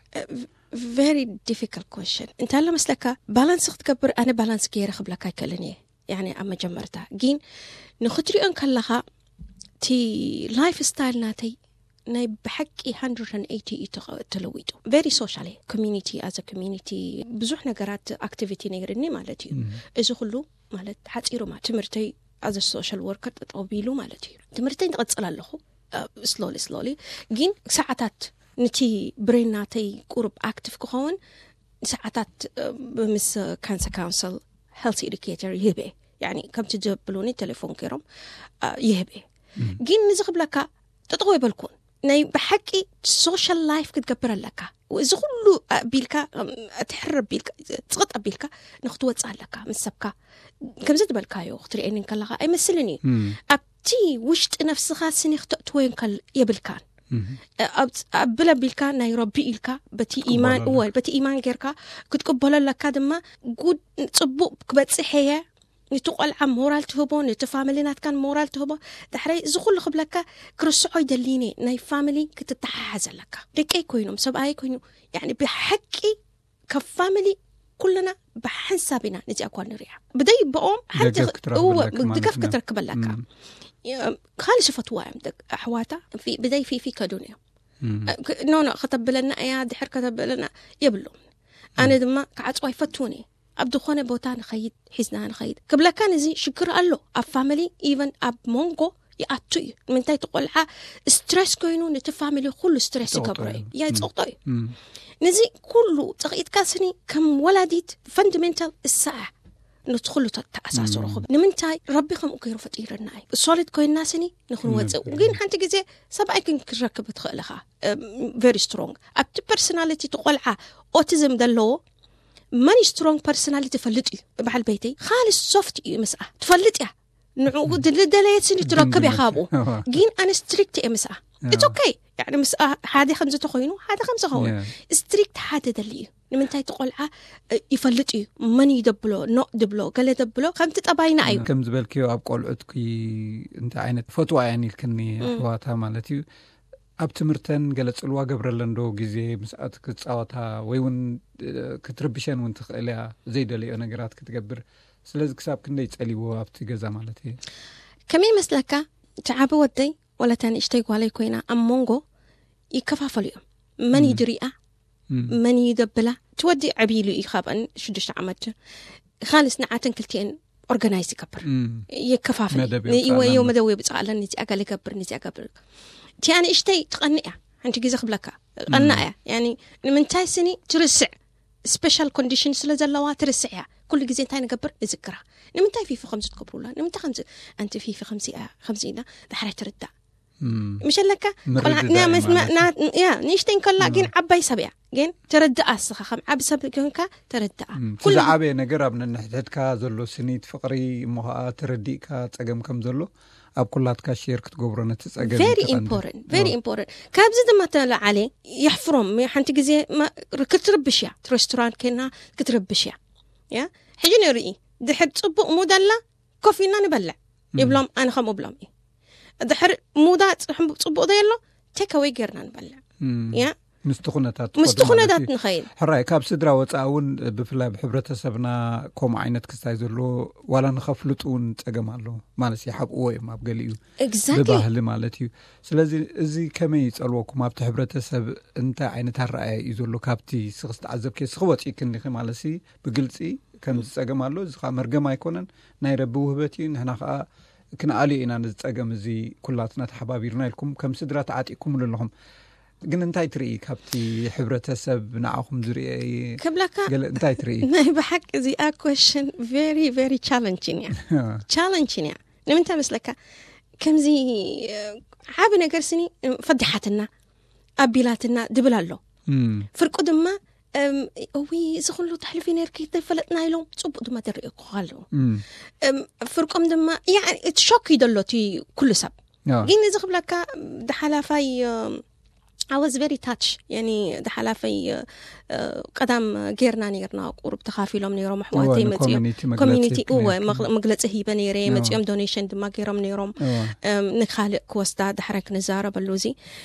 Very difficult question። እንታይ ኣሎ መስለካ፣ ባላንስ ክትገብር ኣነ ባላንስ ገይረ ክብለካ ኣይክእልን እየ። ያኒ ኣብ መጀመርታ ግን ንክትሪኦ እንከለኻ እቲ ላይፍ ስታይል ናተይ ናይ ብሓቂ one hundred eighty እዩ ተለዊጡ። Very social community፣ as a community ብዙሕ ነገራት ኣክቲቪቲ ነይርኒ ማለት እዩ። እዚ ኩሉ ማለት ሓፂሩ ማለት ትምህርተይ ኣዘ ሶሻል ወርከር ጠጠው ቢሉ ማለት እዩ። ትምህርተይ ንቐፅል ኣለኹ ስሎሊ ስሎሊ፣ ግን ሰዓታት ነቲ ብሬን ናተይ ቁሩብ ኣክቲቭ ክኸውን ሰዓታት ምስ ካንሰር ካውንስል ሄልት ኤዱኬተር ይህበ። ያኒ ከምቲ ዘብሉኒ ቴሌፎን ገይሮም ይህበ። ግን ንዚ ክብለካ ጠጠው የበልኩን። ናይ ብሓቂ ሶሻል ላይፍ ክትገብር ኣለካ። እዚ ኩሉ ኣቢልካ ትሕር ኣቢልካ ፅቕጥ ኣቢልካ ንክትወፅእ ኣለካ ምስ ሰብካ። ከምዚ ዝበልካዮ ክትርእየኒ እንከለካ ኣይመስልን እዩ። ኣብቲ ውሽጢ ነፍስኻ ስኒ ክተእትወዮ እንከል የብልካን። ኣብለ ኣቢልካ ናይ ረቢ ኢልካ በቲ ኢማን እወ በቲ ኢማን ጌርካ ክትቅበሎ ኣለካ። ድማ ጉድ ፅቡቅ ክበፅሕ እየ። ነቲ ቆልዓ ሞራል ትህቦ፣ ነቲ ፋሚሊ ናትካን ሞራል ትህቦ። ዳሕራይ እዚ ኩሉ ክብለካ ክርስዖ ይደሊኒ። ናይ ፋሚሊ ክትተሓሓዝ ኣለካ። ደቀይ ኮይኖም ሰብኣይ ኮይኑ ያኒ ብሓቂ ካብ ፋሚሊ ኩልና ብሓንሳብ ኢና ነዚኣ ኳ ንሪኣ። ብደይ ብኦም ሓንቲ ድጋፍ ክትረክበለካ ማለት ድጋፍ ክትረክበለካ። ካልእ ዝፈትዋ እዮም ኣሕዋታ ብደይ ፊፊ ከዱን እዮም። ኖ ኖ ከተብለና እያ ድሕር ከተብለና የብሎም። ኣነ ድማ ክዓፅዋ ይፈትውን እየ። ኣብ ዝኾነ ቦታ ንኸይድ ሒዝና ንኸይድ ክብለካ ነዚ ሽግር ኣሎ። ኣብ ፋሚሊ ኢቨን ኣብ መንጎ ይኣቱ እዩ። ንምንታይ እቲ ቆልዓ ስትረስ ኮይኑ ነቲ ፋሚሊ ኩሉ ስትረስ ይገብሮ እዩ። ያ ይፀቕጦ እዩ። ነዚ ኩሉ ፀቕኢትካ ስኒ ከም ወላዲት ፈንዳሜንታል እሳ እያ ነቲ ኩሉ ተኣሳስሮ። ንምንታይ ረቢ ከምኡ ገይሩ ፈጢረና እዩ። ሶሊድ ኮይንና ስኒ ንክንወፅእ ግን ሓንቲ ግዜ ሰብኣይ ክንክረክብ ትኽእል ኢኻ። ቨሪ ስትሮንግ ኣብቲ ፐርሶናሊቲ እቲ ቆልዓ ኦቲዝም ዘለዎ መኒ ስትሮንግ ፐርሶናሊቲ ትፈልጥ እዩ። በዓል ቤተይ ካልእ ሶፍት እዩ። ምስኣ ትፈልጥ እያ። ንዕኡ ዝደለየት ስኒ ትረክብ እያ ካብኡ። ግን ኣነ ስትሪክት እየ ምስኣ። ኢትስ ኦኬ። ያኒ ምስኣ ሓደ ከምዚ ተኮይኑ ሓደ ከምዚ ኸውን። ስትሪክት ሓደ ደሊ እዩ። ንምንታይ እቲ ቆልዓ ይፈልጥ እዩ መን እዩ ደብሎ ኖ ድብሎ ገለ ደብሎ ከምቲ ጠባይና እዩ። ከም ዝበልክዮ ኣብ ቆልዑትኪ እንታይ ዓይነት ፈትዋ እያን ኢልክኒ ኣሕዋታ ማለት እዩ። ኣብ ትምህርተን ገለ ጽልዋ ገብረለን ዶ ግዜ ምስኣት ክጻወታ ወይ እውን ክትርብሸን እውን ትኽእል እያ ዘይደለዮ ነገራት ክትገብር። ስለዚ ክሳብ ክንደይ ጸሊዎ ኣብቲ ገዛ ማለት እዩ። ከመይ ይመስለካ፣ እቲ ዓቢ ወደይ ዋላ እታ ንእሽተይ ጓለይ ኮይና ኣብ መንጎ ይከፋፈሉ እዮም። መን እዩ ድሪኣ፣ መን እዩ ደብላ። እቲ ወዲ ዓብዪ ኢሉ እዩ ካብኣን ሽዱሽተ ዓመት። ካልስ ንዓተን ክልቲኤን ኦርጋናይዝ ይገብር፣ የከፋፍል። መደብ የውፅኣለን። መደብ የብፅኣለን። ነዚኣ ገለ ገብር፣ ነዚኣ ገብር። እቲኣ ንእሽተይ ትቐንእ እያ። ሓንቲ ግዜ ክብለካ ቀና እያ። ያኒ ንምንታይ ስኒ ትርስዕ፣ ስፔሻል ኮንዲሽን ስለ ዘለዋ ትርስዕ እያ። ኩሉ ግዜ እንታይ ንገብር ንዝክራ። ንምንታይ ፊፊ ከምዚ ትገብሩላ? ንምንታይ ከምዚ ኣንቲ ፊፊ ከምዚ እያ፣ ከምዚ ኢላ ዳሕራይ ትርዳእ። ምሸለካ ምርድዳእ ቆልዓ ማለት እዩ። ያ ንእሽተይ እንከላ ግን ዓባይ ሰብ እያ። ግን ተረድኣ እስኻ ከም ዓቢ ሰብ ኮንካ ተረድኣ። እቲ ኩሉ ዝዓበየ ነገር ኣብ ነንሕድሕድካ ዘሎ ስኒት ፍቕሪ እሞ ኸዓ ተረዲእካ ጸገም ከም ዘሎ ኣብ ኩላትካ ሼር ክትገብሮ ነቲ ጸገም very እዩ ቀንዲ። Important፣ very important። ካብዚ ድማ ተለዓለ የሕፍሮም። ሓንቲ ግዜ ማ- ክትርብሽ እያ፣ እቲ ሬስቶራንት ኬና ክትርብሽ እያ። ያ ሕጂ ንርኢ ድሕር ጽቡቕ ሙድ ኣላ ኮፍ ኢልና ንበልዕ ይብሎም። ኣነ ከምኡ ብሎም እዩ። ድሕር ሙዳ ጽቡቕ ዘየሎ ቴክ ኣወይ ጌርና ንበልዕ። ያ ምስቲ ኩነታት ምስቲ ትኸዱ ማለት ኩነታት እዩ። ንኸይድ። ሕራይ ካብ ስድራ ወፃኢ እውን ብፍላይ ኣብ ሕብረተሰብና ከምኡ ዓይነት ክስታይ ዘለዎ ዋላ ንኸፍልጡ እውን ፀገም ኣሎ ማለት ይሓብእዎ እዮም ኣብ ገሊኡ ኤግዛክትሊ። ብባህሊ ማለት እዩ። ስለዚ እዚ ከመይ ይፀልወኩም ኣብቲ ሕብረተሰብ እንታይ ዓይነት ኣረኣያ እዩ ዘሎ ካብቲ ስኽስ ተዓዘብኪ ስኺ ወፂእኪ እንዲኺ ማለት ሲ ብግልፂ ከምዚ ፀገም ኣሎ እዚ ከዓ መርገም ኣይኮነን ናይ ረቢ ውህበት እዩ ንሕና ከዓ ክንኣልዮ ኢና ነዚ ፀገም እዚ ኩላትና ተሓባቢርና ኢልኩም ከም ስድራ ተዓጢቅኩምሉ ኣለኹም። ግን እንታይ ትርኢ ካብቲ ሕብረተሰብ ንዓኹም ዝርአ ክብለካ ገለ እንታይ ትርኢ? ናይ ብሓቂ እዚኣ ኮሽን ቨሪ ቨሪ ቻለንጂን እያ። ቻለንጂን እያ። ንምንታይ መስለካ ከምዚ ዓብ ነገር ስኒ ፈዲሓትና ኣቢላትና ድብል ኣሎ። ፍርቁ ድማ እዊ፣ እዚ ኩሉ ተሕልፊ ነርኪ ተፈለጥና ኢሎም ጽቡቅ ድማ ተርእየኩ ኣለዉ። እም፣ ፍርቆም ድማ፣ ያኒ፣ እቲ ሾክ እዩ ዘሎ እቲ ኩሉ ሰብ። ኣዎ። ግን እዚ ክብለካ፣ ደሓላፋይ፣ እም፣ I was very touch፣ ያኒ፣ ደሓላፈይ፣ እ፣ ቀዳም ጌርና ኔርና፣ ቁሩብ ተኻፊሎም ኔሮም፣ ኣሕዋተይ እወ፣ መጺኦም። ንኮሚኒቲ መግለጺ ኮሚኒቲ፣ እወ፣ ኔርኪ። መግ-፣ መግለጺ ሂበ ኔረ፣ እወ። መጺኦም ዶኔሽን ድማ ጌሮም ኔሮም። እወ። እም፣ ንኻልእ ክወስዳ፣ ዳሕራይ ክንዛረበሉ እዚ፣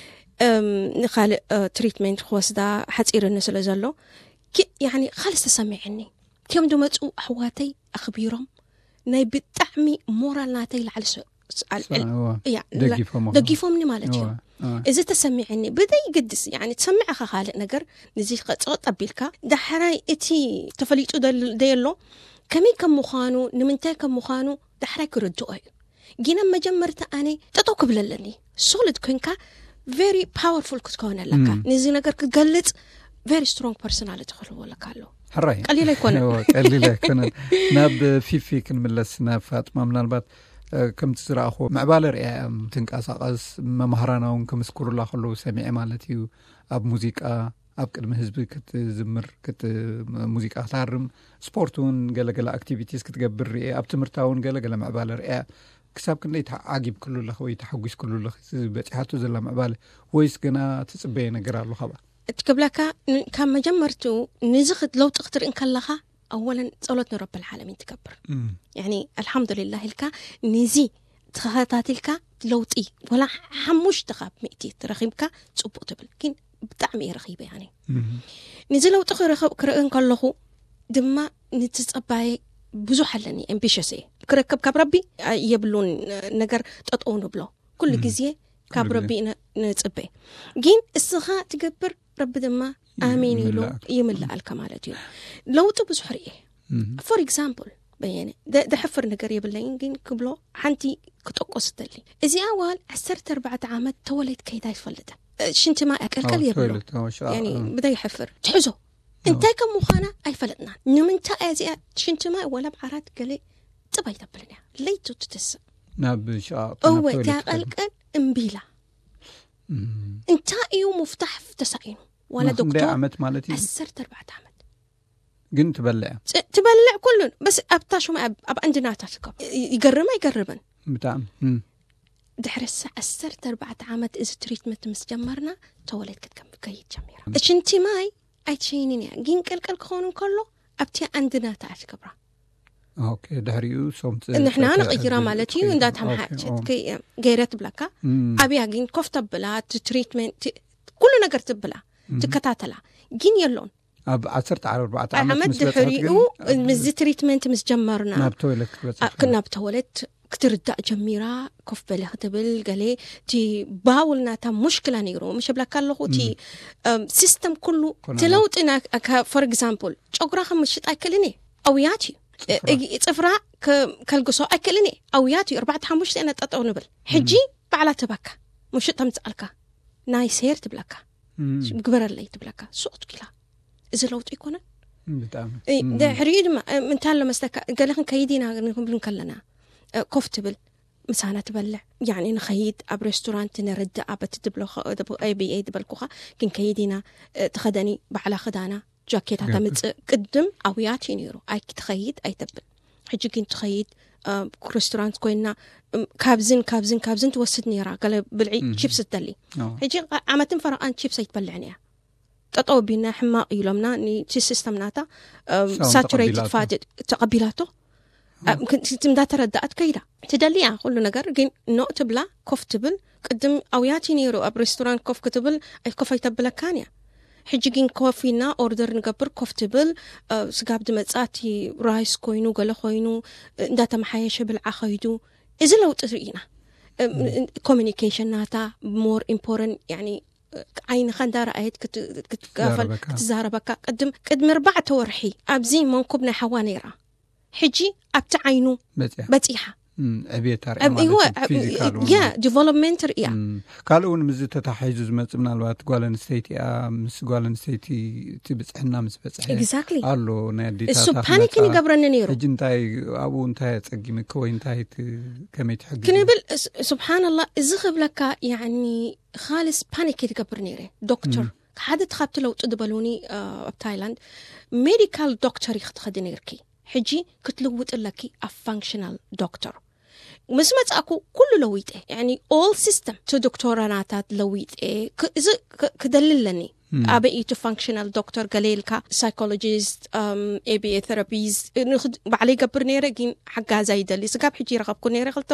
እም፣ ንኻልእ፣ እ፣ ትሪትመንት ክወስዳ ሓጺርኒ ስለ ዘሎ፣ ኪ-፣ ያኒ፣ ካልስ ተሰሚዕኒ። ኪዮም ዝመጹ ኣሕዋተይ ኣኽቢሮም፣ ናይ ብጣዕሚ ሞራል ናተይ ላዕሊ ስ-፣ ስ-፣ ኣል-፣ ሳ-፣ እዋ፣ እያ፣ ላ-፣ ደጊፎም ኣኹ። ደጊፎምኒ ማለት እዩ። እዋ፣ እዋ። እዚ ተሰሚዐኒ፣ ብደይ ግድስ፣ ያኒ፣ ትሰምዕ ኢኻ ካልእ ነገር፣ ንዚ ኸ-፣ ጸቕጥ ኣቢልካ፣ ዳሕራይ እቲ ተፈሊጡ ደል-፣ ደየሎ፣ ከመይ ከም ምዃኑ፣ ንምንታይ ከም ምዃኑ፣ ዳሕራይ ክርድኦ እዩ። ግን ኣብ መጀመርታ ኣነ ጠጠው ክብል ኣለኒ። ሶሊድ ኮንካ፣ ቨሪ ፓወርፉል ክትከውን ኣለካ። እም። ነዚ ነገር ክትገልጽ፣ ቨሪ ስትሮንግ ፐርሶናሊቲ ክህልዎ ኣለካ ኣሎ። ሕራይ። ቀሊል ኣይኮነን። እወ፣ ቀሊል ኣይኮነን። ናብ ፊፊ ክንምለስ፣ ናብ ፋጥማ፣ ምናልባት፣ እ፣ ከምቲ ዝረኣኹ፣ ምዕባለ ርእያ እያ ትንቀሳቐስ፣ መማህራና እውን ክምስክሩላ ከለዉ ሰሚዐ ማለት እዩ። ኣብ ሙዚቃ፣ ኣብ ቅድሚ ህዝቢ ክትዝምር፣ ክት-፣ ሙዚቃ ክትሃርም፣ ስፖርት እውን ገለገለ ኣክቲቪቲስ ክትገብር ርእየ፣ ኣብ ትምህርታ እውን ገለገለ ምዕባለ ርእያ። ክሳብ ክንደይ ተዓጊብክሉ ኣለኺ ወይ ተሓጒስክሉ ኣለኺ፣ እዚ በጺሓቶ ዘላ ምዕባለ? ወይስ ገና ትጽበየ ነገር ኣሎ ካብኣ? እቲ ክብለካ፣ ን-፣ ካብ መጀመርትኡ፣ ንዚ ክት-፣ ለውጢ ክትርኢ እንከለኻ፣ ኣወለን ጸሎት ንረብል ዓለሚን ትገብር። እም። ያኒ፣ ኣልሓምዱሊላህ ኢልካ፣ ንዚ ተኸታቲልካ ለውጢ፣ ወላ ሓሙሽተ ካብ ሚእቲ ትረኺብካ፣ ጽቡቕ ትብል። ግን ብጣዕሚ እየ ረኺበ፣ ያኒ። እም። ንዚ ለውጢ ክረኸብ-፣ ክርኢ እንከለኹ ድማ፣ ንትጸባየ ብዙሕ ኣለኒ፣ ኣምቢሽስ እየ። ክረክብ ካብ ረቢ፣ ኣ-፣ የብሉን ነገር ጠጠው ንብሎ። ኩሉ እም። ግዜ ካብ ኩሉ ረቢ ግዜ። ነ-፣ ንጽበ። ግን እስኻ ትገብር፣ ረቢ ድማ ኣሜን ኢሉ ይምልኣካ። ይምልኣልካ ማለት እዩ። ለውጢ ብዙሕ ርእየ። እም። ፎር ኤግዛምፕል፣ በየነ፣ ደ-፣ ደሕፍር ነገር የብለይን፣ ግን ክብሎ ሓንቲ ክጠቆስ እደሊ። እዚኣ ዋል ዓሰርተ ኣርባዕተ ዓመት ተወለድ ከይዳ ኣይትፈልጥን። እ፣ ሽንቲ ማይ ኣቀልቀል ኣዎ፣ የብሎ። ቶይለት፣ ኣዎ፣ ሽዓ፣ ያኒ፣ እ። ብደይ ሕፍር። ትሕዞ። ኣዎ። እንታይ ከም ምዃና ኣይፈለጥናን። ንምንታይ እያ እዚኣ ሽንቲ ማይ ወላ ብዓራት ገለ ጥብ ኣይተብልን እያ። ለይቱ ትትስእ። ናብ ሽቓቕ፣ እወ፣ ናብ ቶይለት እታ ትኸድ። ቀልቀል እምቢ ኢላ። እም። እንታይ እዩ ምፍታሕ ተሳኢኑ? ዋላ ናብ ክንደይ ዶክተር ዓመት ማለት እዩ? ዓሰርተ ኣርባዕተ ዓመት። ግን ትበልዕ እያ? ፅ-፣ ትበልዕ ኩሉ። በስ ኣብታ ሽማ ኣብ፣ ኣብ ኣንድናታ ትከብ። ይ-፣ ይገርም ኣይገርምን? ብጣዕሚ። እም። ድሕሪ ሳ-፣ ዓሰርተ ኣርባዕተ ዓመት እዚ ትሪትመንት ምስ ጀመርና፣ ተወለድ ክትከም-፣ ከይድ ጀሚራ። እም። ሽንቲ ማይ ኣይትሸይንን እያ። ግን ቀልቀል ክኸውን እንከሎ፣ ኣብቲ ኣንድናታ እያ ትገብራ። ኦኬ፣ ድሕሪኡ ሶም ት-፣ ንሕና ተ-፣ ንቕይራ ተ-፣ ማለት እዩ፣ ትኸይድ። እንዳተምሓ-፣ ኦኬ፣ ኦኬ። ትከይ-፣ ገይረ ትብለካ። እም። ኣብያ ግን ኮፍ ተብላ፣ እቲ ትሪትመንት፣ ት-፣ ኩሉ ነገር ትብላ፣ እም። ትከታተላ። ግን የሎን። ኣብ ዓሰርተ ኣርባዕተ ዓመት ዓመት ምስ በጽሐት ድሕሪኡ ግን፣ ኣብ ምስዚ ትሪትመንት ምስ ጀመርና፣ ናብ ቶይለት ክትበጽሕ ኣ-፣ ክ-፣ ናብ ቶይለት ክትርዳእ ጀሚራ፣ ኮፍ በለ ክትብል፣ ገለ እቲ ባውል ናታ ሙሽክላ ነይሩ። ምሽ እብለካ ኣለኹ፣ እቲ፣ እም። እም፣ ሲስተም ኩሉ ኮነ እቲ ለውጢ ና-፣ ከ-፣ ፎር ኤግዛምፕል፣ ጨጉራ ከም ምሽጥ ኣይክእልን እየ። ኣውያት እዩ። ጽፍራ። እ-፣ ጽፍራ ከ-፣ ከልግሶ ኣይክእልን እየ። ኣውያት እዩ። ኣርባዕተ ሓሙሽተ ኢና ጠጠው ንብል። ሕጂ እም። ባዕላ ትህበካ። ምሽጥ ተምጽኣልካ። ናይ ሴር ትብለካ። እም። ግበረለይ ትብለካ። ሱቕ ትኪላ። እዚ ለውጢ ኣይኮነን? ብጣዕሚ። እ፣ እም። ድሕሪኡ ድማ፣ እ፣ እንታይ ኣሎ መስለካ? ገለ ክንከይድ ኢና ንክንብል እንከለና፣ እ፣ ኮፍ ትብል፣ ምሳና ትበልዕ። ያኒ ንኸይድ፣ ኣብ ሬስቶራንት ንርዳእ፣ በቲ ትብሎ ኸ-፣ ብ-፣ ኤ ቢ ኤ ዝበልኩኻ፣ ክንከይድ ኢና፣ እ፣ ተኸደኒ፣ ባዕላ ክዳና፣ ጃኬታ ገርግር። ተምጽእ። ቅድም ኣውያት እዩ ነይሩ። ኣይ፣ ትኸይድ ኣይተብል። ሕጂ ግን ትኸይድ፣ እ፣ ሬስቶራንት ኮይና፣ እም፣ ካብዝን፣ ካብዝን፣ ካብዝን ትወስድ ነይራ። ገለ ብልዒ እም። ቺፕስ ትደሊ። ኣዎ። ሕጂ ዓ-፣ ዓመትን ፈረቓን ቺፕስ ኣይትበልዕን እያ። ጠጠው ቢና ሕማቕ ኢሎምና፣ ንቲ ሲስተም ናታ፣ እም፣ ሳውን ሳቹሬትድ ተቐቢላቶ። ፋት ተቐቢላቶ። እም። እም፣ ክን-፣ ቲ-፣ እንዳተረዳኣት ከይዳ። ትደሊ እያ ኩሉ ነገር፣ ግን ኖ ትብላ፣ ኮፍ ትብል። ቅድም ኣውያት እዩ ነይሩ ኣብ ሬስቶራንት ኮፍ ክትብል፣ ኣይ-፣ ኮፍ ኣይተብለካን እያ። ሕጂ ግን ኮፍ ኢልና ኦርደር ንገብር፣ ኮፍ ትብል፣ እ፣ ስጋብ ዝመጻ እቲ ራይስ ኮይኑ፣ ገለ ኮይኑ፣ እ፣ እንዳተመሓየሸ ብልዓ ከይዱ። እዚ ለውጢ ርኢና። እ፣ እም። እ፣ ኮሚኒኬሽን ናታ ሞር ኢምፖረንት፣ ያኒ፣ እ፣ ዓይንኻ እንዳረኣየት ክት-፣ ክትካፈል፣ ክትዛረበካ። ክትዛረበካ። ቅድም፣ ቅድሚ ኣርባዕተ ወርሒ ኣብዚ መንኩብ ናይ ሓዋ ነይራ። ሕጂ ኣብቲ ዓይኑ በጺሓ። በጺሓ። እም፣ ዕብየት ኣርእያ ኣብ፣ ማለት እወ፣ እዩ፣ ኣብ፣ ፊዚካል እውን። ያ፣ ዲቨሎፕመንት ርእያ። እም፣ ካልእ እውን ምስዚ ተታሒዙ ዝመጽእ ምናልባት ጓል ኣንስተይቲ እያ፣ ምስ ጓል ኣንስተይቲ እቲ ብጽሕና ምስ በጽሐ ኤግዛክትሊ። ኣሎ፣ ናይ ኣዴታትና እሱ ፓኒክን ይገብረኒ ነይሩ። ሕጂ እንታይ፣ ኣብኡ እንታይ ኣጸጊምኪ ወይ እንታይ ት-፣ ከመይ ትሕግዚ? ክንብል፣ ስ-፣ ስብሓንላህ፣ እዚ ክብለካ፣ ያኒ፣ ኻልስ ፓኒክ ትገብር ነይረ። ዶክተር፣ እም። ሓደ ካብቲ ለውጢ ዝበሉኒ ኣብ ታይላንድ፣ ሜዲካል ዶክተር ክትኸዲ ነርኪ፣ ሕጂ ክትልውጥ ኣለኪ ኣብ ፋንክሽናል ዶክተር። ምስ መጻእኩ ኩሉ ለዊጠ፣ ያኒ ኦል ሲስተም ቲ ዶክተራናታት ለዊጠ። እዚ ክደሊ ኣለኒ። ኣበይ እቲ ፋንክሽናል ዶክተር ገለ ኢልካ፣ ሳይኮሎጂስት፣ ኤቢኤ ቴራፒስት ባዕለይ ይገብር ነይረ፣ ግን ሓጋዛ ይደሊ። ስጋብ ሕጂ ይረኸብኩ ነይረ፣ ክልተ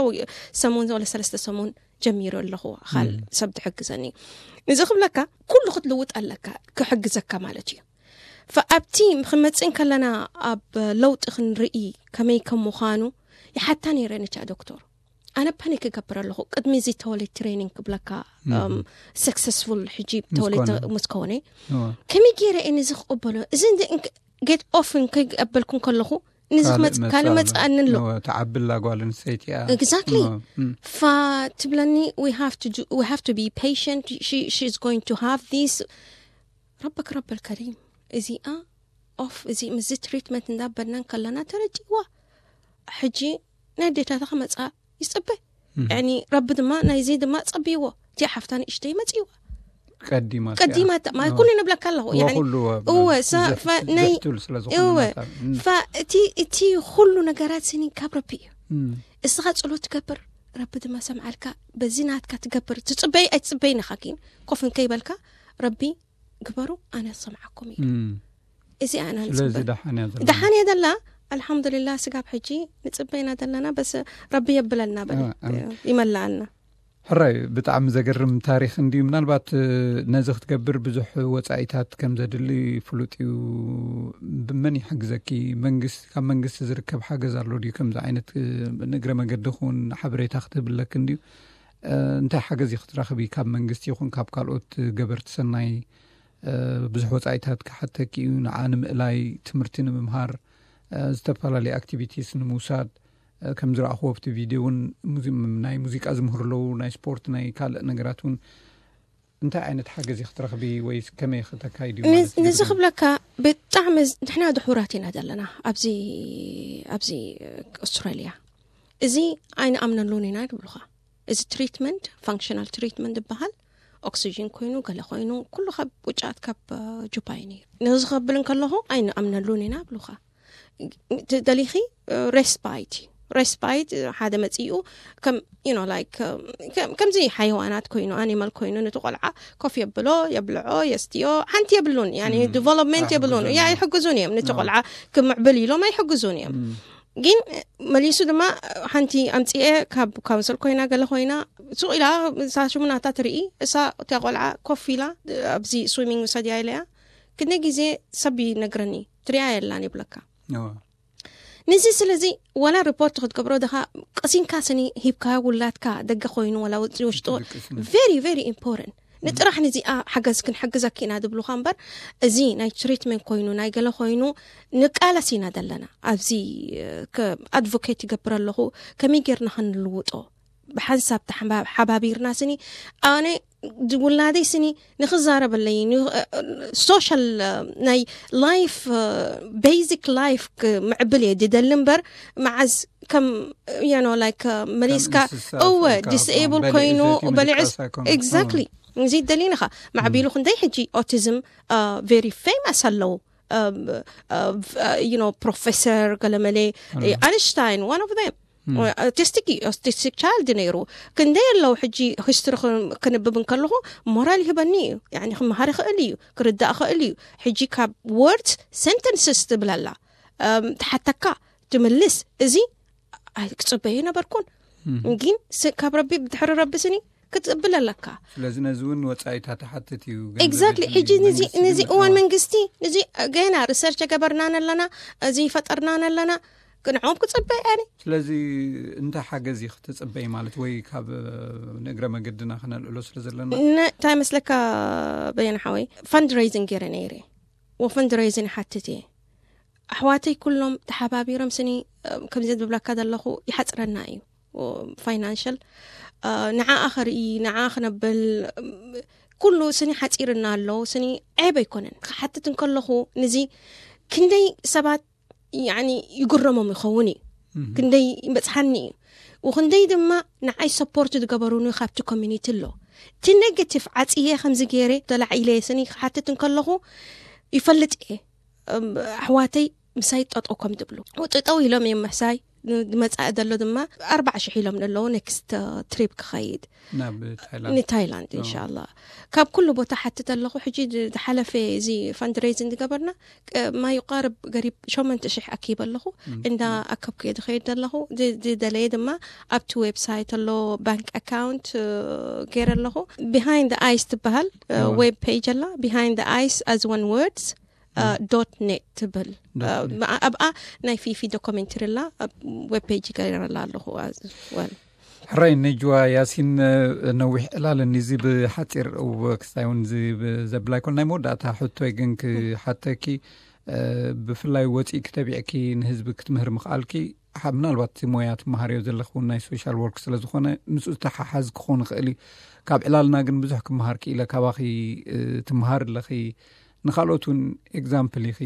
ሰሙን ወለ ሰለስተ ሰሙን ጀሚሩ ኣለኹ። ኣኻል ሰብ ትሕግዘኒ። ንዚ ክብለካ፣ ኩሉ ክትልውጥ ኣለካ፣ ክሕግዘካ ማለት እዩ። ኣብቲ ክመፅእ ከለና ኣብ ለውጢ ክንርኢ ከመይ ከም ምዃኑ ይሓታ ነይረ ነቻ ዶክተር። ኣነ ፓኒክ ክገብር ኣለኹ ቅድሚ እዚ ተወለድ ትሬኒንግ ክብለካ፣ ሰክሰስፉል ሕጂ ተወለድ ምስ ከወነ፣ ከመይ ገይረ እየ ነዚ ክቕበሎ? እዚ ጌት ኦፍን ከይቀበልኩን ከለኹ፣ ንዚ ክመጽእ ካልእ መጽኣኒ ኣሎ። ተዓብላ ጓል ኣንስተይቲ እያ። Exactly። ፋ ትብለኒ፣ we have to be patient, she is going to have this። ረበክ ረበል ከሪም፣ እዚኣ ኦፍ፣ እዚ ምስዚ ትሪትመንት እንዳበልናን ከለና ተረዲእዋ። ሕጂ ናይ ኣዴታታ ክመጻ ይጽበ። ያኒ ረቢ ድማ ናይዚ ድማ ጸብይዎ። እቲኣ ሓፍታ ንእሽተይ መጽእዋ። ቀዲማ ቀዲማ ተ-፣ ማ-፣ ኩሉ ንብለካ ኣለኹ። ያኒ እወ፣ ሳ-፣ ፈ-፣ ናይ-፣ እወ። ፈ-፣ እቲ፣ እቲ ኩሉ ነገራት ስኒ ካብ ረቢ እዩ። እስኻ ጸሎት ትገብር፣ ረቢ ድማ ሰምዓልካ። በዚ ናትካ ትገብር፣ ትጽበይ ኣይትጽበይ ንኻ ግን ኮፍ እንከይበልካ፣ ረቢ ግበሩ፣ ኣነ ሰምዓኩም እዩ። እዚ ኣና ስለዚ ንጽበ። ደሓን እያ ዘላ። ደሓን እያ ዘላ። ኣልሓምዱሊላህ፣ ስጋብ ሕጂ ንጽበይና ዘለና፣ በስ ረቢ የብለልና በል። ይመላኣልና። ሕራይ፣ ብጣዕሚ ዘገርም ታሪኽ እንድዩ። ምናልባት ነዚ ክትገብር ብዙሕ ወጻኢታት ከም ዘድሊ ፍሉጥ እዩ። ብመን ይሕግዘኪ? መንግስቲ፣ ካብ መንግስቲ ዝርከብ ሓገዝ ኣሎ ድዩ? ከምዚ ዓይነት ንእግረ መገዲ ኹን ሓበሬታ ክትህብለክ እንድዩ። እንታይ ሓገዝ ክትረኽቢ ካብ መንግስቲ ይኹን ካብ ካልኦት ገበርቲ ሰናይ? ብዙሕ ወጻኢታት ክሓተኪ እዩ። ንዓ ንምእላይ፣ ትምህርቲ ንምምሃር፣ ዝተፈላለዩ ኣክቲቪቲስ ንምውሳድ፣ ከም ዝረኣኽዎ ኣብቲ ቪድዮ እውን ናይ ሙዚቃ ዝምህሩ ኣለዉ፣ ናይ ስፖርት፣ ናይ ካልእ ነገራት እውን። እንታይ ዓይነት ሓገዝ ክትረኽቢ ወይ ከመይ ክተካይዲ? ንዚ ክብለካ፣ ብጣዕሚ ንሕና ድሑራት ኢና ዘለና ኣብዚ፣ ኣብዚ ኣውስትራልያ። እዚ ኣይንኣምነሉን ኢና ይብሉኻ። እዚ ትሪትመንት፣ ፋንክሽናል ትሪትመንት ዝበሃል፣ ኦክሲጅን ኮይኑ፣ ገለ ኮይኑ፣ ኩሉ ካብ ውጫት ካብ ጁፓ እዩ ነይሩ። ነዚ ከብል እንከለኹ ኣይንኣምነሉን ኢና ብሉኻ። ደሊኺ ሬስፓይት እዩ። ሬስፓይት ሓደ መጺኡ ከም፣ you know, like፣ ከምዚ ሓይዋናት ኮይኑ፣ ኣኒማል ኮይኑ፣ ነቲ ቆልዓ ኮፍ የብሎ፣ የብልዖ፣ የስትዮ፣ ሓንቲ የብሉን። ያኒ ዲቨሎፕመንት የብሉን። ያ ኣይሕግዙን እዮም። ነቲ ቆልዓ ክምዕብል ኢሎም ኣይሕግዙን እዮም። ግን መሊሱ ድማ ሓንቲ ኣምጽኤ ካብ ካውንስል ኮይና ገለ ኮይና ሱቕ ኢላ እሳ ሽሙናታ ትርኢ። እሳ እታ ቆልዓ ኮፍ ኢላ ኣብዚ ስዊሚንግ ውሰድያ ኢለያ። ክንደይ ግዜ ሰብ ይነግረኒ፣ ትሪኣ የላን ይብለካ። ነዚ ስለዚ ዋላ ሪፖርት ክትገብሮ ድኻ ቀሲንካ ስኒ ሂብካ ውላድካ ደገ ኮይኑ ዋላ ውሽጡ very very important ንጥራሕ ንዚኣ ሓገዝ ክንሕግዘኪ ኢና ዝብሉኻ እምበር፣ እዚ ናይ ትሪትመንት ኮይኑ ናይ ገለ ኮይኑ ንቃለስ ኢና ዘለና። ኣብዚ ኣድቮኬት ይገብር ኣለኹ፣ ከመይ ጌርና ክንልውጦ ብሓንሳብ ተሓባ-፣ ሓባቢርና ስኒ ኣነ ውላደይ ስኒ ንኽዛረበለይ ሶሻል ናይ ላይፍ ቤዚክ ላይፍ ክምዕብል እየ ድደሊ እምበር፣ መዓዝ ከም you know like መሊስካ እንስሳ እወ ኮይንካ ዲስኤብል ከም በሊዕ ኮይኑ ዘይቲ በሊዕስ ምድቃስ ኣይኮነን። ኤግዛክትሊ እዚ ደሊንኻ ማዕቢሉ ክንደይ ሕጂ ኦቲዝም ቬሪ ፌመስ ኣለዉ። You know ፕሮፌሰር ገለመሌ ኣንሽታይን one of them ኦቲስቲክ እዩ። ኦቲስቲክ ቻይልድ ነይሩ። ክንደይ ኣለዉ ሕጂ ሂስትሪ ክንብብ እንከለኹ ሞራል ይህበኒ እዩ። ያኒ ክመሃር ይኽእል እዩ፣ ክርዳእ ይኽእል እዩ። ሕጂ ካብ ወርድስ ሰንተንስስ ትብል ኣላ፣ ትሓተካ ትምልስ። እዚ ክጽበዮ ነበርኩን ግን ካብ ረቢ ብድሕሪ ረቢ ስኒ ክትጽብል ኣለካ። ስለዚ ነዚ እውን ወጻኢታት ትሓትት እዩ። ኤግዛክትሊ። ሕጂ ነዚ እዋን መንግስቲ ነዚ ገና ሪሰርች ገበርናን ኣለና፣ እዚ ፈጠርናን ኣለና፣ ንዕኦም ክጽበ ያኒ። ስለዚ እንታይ ሓገዝ እዩ ክትጽበይ ማለት ወይ ካብ ንእግረ መገድና ክነልዕሎ ስለ ዘለና? እንታይ መስለካ በየነ ሓወይ፣ ፈንድሬይዚንግ ገይረ ነይረ። ወፈንድሬይዚንግ ሓትት እየ። ኣሕዋተይ ኩሎም ተሓባቢሮም ስኒ ከምዚ ዝብለካ ዘለኹ ይሓፅረና እዩ ፋይናንሽል ንዓኣ ከርኢ ንዓ ክነብል ኩሉ ስኒ ሓፂርና ኣሎ። ስኒ ዔብ ኣይኮነን። ክሓትት እንከለኹ ንዚ ክንደይ ሰባት ያኒ ይግረሞም ይኸውን እዩ። ክንደይ ይበፅሓኒ እዩ። ወክንደይ ድማ ንዓይ ሰፖርት ዝገበሩኒ ካብቲ ኮሚኒቲ ኣሎ። እቲ negative ዓፅየ ከምዚ ገይረ ተላዒለ ስኒ ክሓትት እንከለኹ ይፈልጥ እየ። እም፣ ኣሕዋተይ ምሳይ ጠጠው ከም ትብሉ ጠጠው ኢሎም እዮም ምሕሳይ። ዝመፃእ ዘሎ ድማ ኣርባዓ ሽሕ ኢሎም ዘለዉ next trip ክኸይድ ናብ ታይላንድ ንታይላንድ እንሻላ። ካብ ኩሉ ቦታ ሓትት ኣለኹ። ሕጂ ዝሓለፈ እዚ fundraising ዝገበርና ማይቋርብ ገሪብ ሸመንተ ሽሕ ኣኪብ ኣለኹ። እንዳ ኣከብኩ እየ ዝኸይድ ዘለኹ። ዝደለየ ድማ ኣብቲ ዌብሳይት ኣሎ፣ ባንክ ኣካውንት ገይረ ኣለኹ። Behind the Ice ትበሃል ዌብ ፔጅ ኣላ። Behind the Ice as one words dot net ትብል። ኣብኣ ናይ ፊፊ ዶክመንተሪ ኣላ። ኣብ ዌብ ፔጅ ገይረላ ኣለኹ። ወል ሕራይ ነጅዋ ያሲን፣ ነዊሕ ዕላል እኒዚ ብሓፂር ክስታይ እውን ዘብላ ይኮን። ናይ መወዳእታ ሕቶይ ግን ክሓተኪ፣ ብፍላይ ወፂእኪ ተቢዕኪ ንህዝቢ ክትምህር ምኽኣልኪ፣ ምናልባት እቲ ሞያ ትመሃርዮ ዘለኽውን ናይ ሶሻል ወርክ ስለዝኾነ ምስኡ ዝተሓሓዝ ክኾን ይኽእል እዩ። ካብ ዕላልና ግን ብዙሕ ክመሃር ክኢለ። ካባኺ ትመሃር ኣለኺ፣ ንካልኦት እውን ኤግዛምፕል ኢኺ።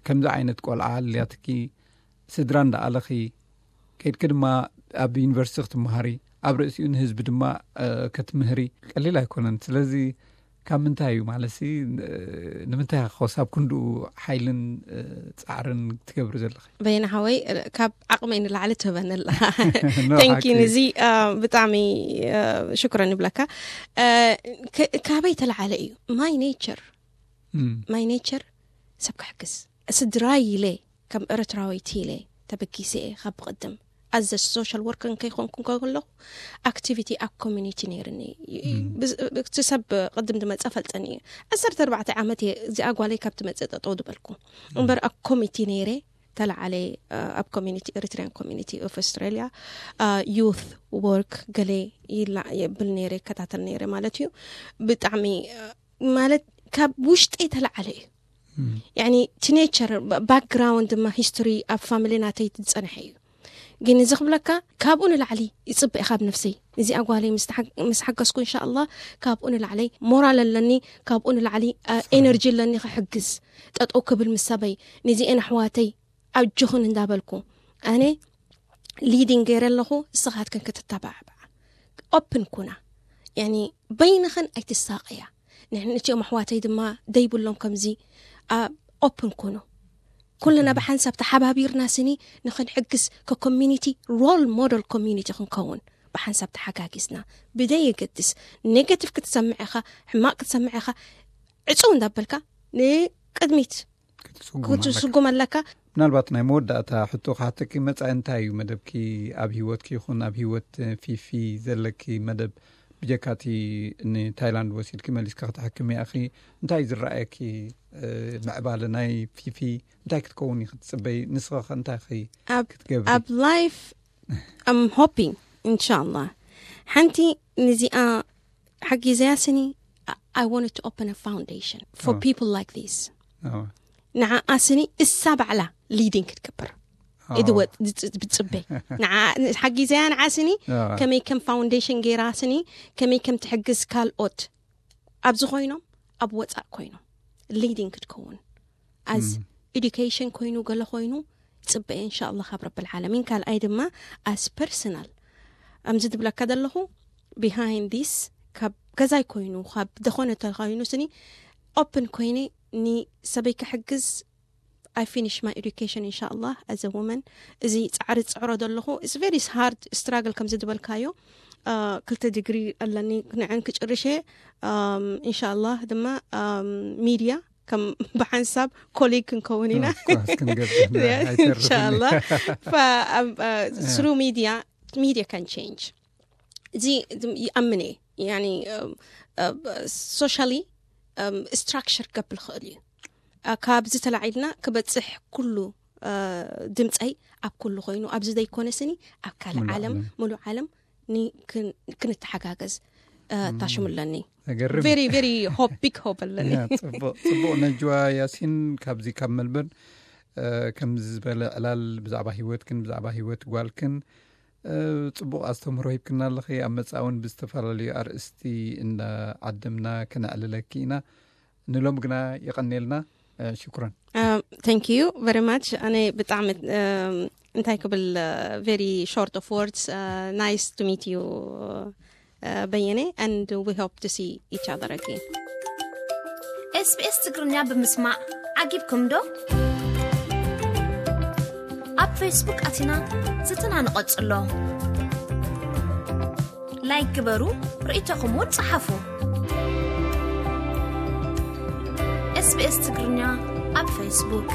ከምዚ ዓይነት ቆልዓ ኣልያትኪ፣ ስድራ እንዳኣለኺ ከይድኪ ድማ ኣብ ዩኒቨርሲቲ ክትመሃሪ፣ ኣብ ርእሲኡ ንህዝቢ ድማ ከትምህሪ ቀሊል ኣይኮነን። ስለዚ ካብ ምንታይ እዩ ማለት ሲ፣ ንምንታይ ኮሳብ ክንድኡ ሓይልን ፃዕርን ትገብሪ ዘለኺ? በየነ ሓወይ፣ ካብ ዓቕመይ ንላዕሊ ትህበኒ ኣለኻ። Thank you። ንዚ ብጣዕሚ ሽኩረን ይብለካ። ካበይ ተለዓለ እዩ my nature? My nature ሰብ ክሕግዝ፣ ስድራይ ኢለ ከም ኤርትራዊት ኢለ ተበጊሰ እየ። ካብ ብቕድም ኣዘ ሶሻል ወርከር ከይኮንኩ ከለኹ ኣክቲቪቲ ኣብ ኮሚኒቲ ነይርኒ። እቲ ሰብ ቅድም ዝመፀ ፈልጠኒ እዩ። ዓሰርተ ኣርባዕተ ዓመት እየ እዚኣ ጓለይ ካብ ትመፅእ ጠጠው ዝበልኩ እምበር ኣብ ኮሚቲ ነይረ። ተለዓለ ኣብ ኮሚኒቲ ኤሪትሪያን ኮሚኒቲ ኦፍ ኣውስትራሊያ ዩት ወርክ ገለ ይላ የብል ነይረ፣ ይከታተል ነይረ ማለት እዩ። ብጣዕሚ ማለት ካብ ውሽጠይ ተለዓለ እዩ። ያኒ እቲ ኔቸር ባክግራውንድ ድማ ሂስቶሪ ኣብ ፋሚሊ ናተይ ዝፀንሐ እዩ። ግን እዚ ክብለካ ካብኡ ንላዕሊ ይፅበ ካብ ነፍሰይ። እዚኣ ጓለይ ምስ ሓገዝኩ እንሻ ኣላ ካብኡ ንላዕለይ ሞራል ኣለኒ፣ ካብኡ ንላዕሊ ኤነርጂ ኣለኒ ክሕግዝ። ጠጠው ክብል ምስ ሰበይ ነዚኤን ኣሕዋተይ ኣጆኽን እንዳበልኩ ኣነ ሊዲንግ ገይረ ኣለኹ። ንስኻትክን ክትተባዕባዓ ኦፕን ኩና። ያኒ በይንኽን ኣይትሳቐያ። ንሕን እቲኦም ኣሕዋተይ ድማ ደይብሎም ከምዚ ኦፕን ኩኑ። ኩልና ብሓንሳብ ተሓባቢርና ስኒ ንኽንሕግዝ ከኮሚኒቲ ሮል ሞደል ኮሚኒቲ ክንከውን ብሓንሳብ ተሓጋጊዝና ብደይ የገድስ። ኔጋቲቭ ክትሰምዕ ኢኻ፣ ሕማቕ ክትሰምዕ ኢኻ፣ ዕፅው እንዳበልካ ንቅድሚት ክትስጉም ኣለካ። ምናልባት ናይ መወዳእታ ሕቶ ክሓተኪ መፃኢ እንታይ እዩ መደብኪ? ኣብ ህይወትኪ ይኹን ኣብ ህይወት ፊፊ ዘለኪ መደብ ብጀካቲ ንታይላንድ ወሲድኪ መሊስካ ክትሕክሚ ኣኺ እንታይ ዝረኣየኪ ምዕባለ ናይ ፊፊ እንታይ ክትከውን እዩ ክትፅበይ? ንስኸ እንታይ ኸ ክትገብሪ? ኣብ ላይፍ ኣም ሆፒንግ እንሻላ ሓንቲ ንዚኣ ሓጊዘያ ስኒ I wanted to open a foundation for people like this። ንዓኣ ስኒ እሳ ባዕላ ሊዲንግ ክትገብር ኢድወ ብትፅበ ሓጊዘያ ንዓ ስኒ ከመይ ከም ፋውንዴሽን ገይራ ስኒ ከመይ ከም ትሕግዝ ካልኦት ኣብዚ ኮይኖም ኣብ ወፃእ ኮይኖም ሊዲንግ ክትከውን ኣዝ ኤዱኬሽን ኮይኑ ገለ ኮይኑ ፅበየ እንሻ ኣላ ካብ ረብል ዓለሚን። ካልኣይ ድማ ኣስ ፐርሰናል ኣምዚ ትብለካ ዘለኹ ቢሃይንድ ዲስ ካብ ገዛይ ኮይኑ ካብ ደኾነ ተኮይኑ ስኒ ኦፕን ኮይነ ንሰበይ ክሕግዝ I finish my education እንሻ ኣላ as a woman። እዚ ፃዕሪ ፅዕሮ ዘለኹ it's very hard struggle ከምዚ ዝበልካዮ ክልተ ዲግሪ ኣለኒ ንዕን ክጭርሸ እንሻ ኣላ ድማ ሚድያ ከም ብሓንሳብ ኮሊግ ክንከውን ኢና እንሻላ። ስሩ ሚድያ ሚድያ ካን ቼንጅ እዚ ይኣምን እየ። ሶሻሊ ስትራክቸር ክገብር ክእል እዩ። ካብዚ ተላዒልና ክበፅሕ ኩሉ ድምፀይ ኣብ ኩሉ ኮይኑ ኣብዚ ዘይኮነ ስኒ ኣብ ካልእ ዓለም ሙሉእ ዓለም ክንተሓጋገዝ ታሽሙ ኣለኒ። ቨሪ ቨሪ ሆፕ ቢግ ሆፕ ኣለኒ። ጽቡቕ ነጅዋ ያሲን ካብዚ ካብ መልበርን ከምዚ ዝበለ ዕላል ብዛዕባ ህይወትክን ብዛዕባ ህይወት ጓልክን ጽቡቕ ኣስተምህሮ ሂብክና ኣለኺ። ኣብ መጻእውን ብዝተፈላለዩ ኣርእስቲ እንዳዓደምና ክነዕልለኪ ኢና። ንሎም ግና የቐንየልና። ሽኩረን። Thank you very much። ኣነ ብጣዕሚ እንታይ ክብል very short of words. Nice to meet you በየነ, and we hope to see each other again. SBS ትግርኛ ብምስማዕ ዓጊብኩም ዶ? ኣብ ፌስቡክ ኣቲና ዝትና ንቐጽሎ። ላይክ ግበሩ፣ ርእይቶኹም እውን ጸሓፉ። SBS ትግርኛ ኣብ ፌስቡክ።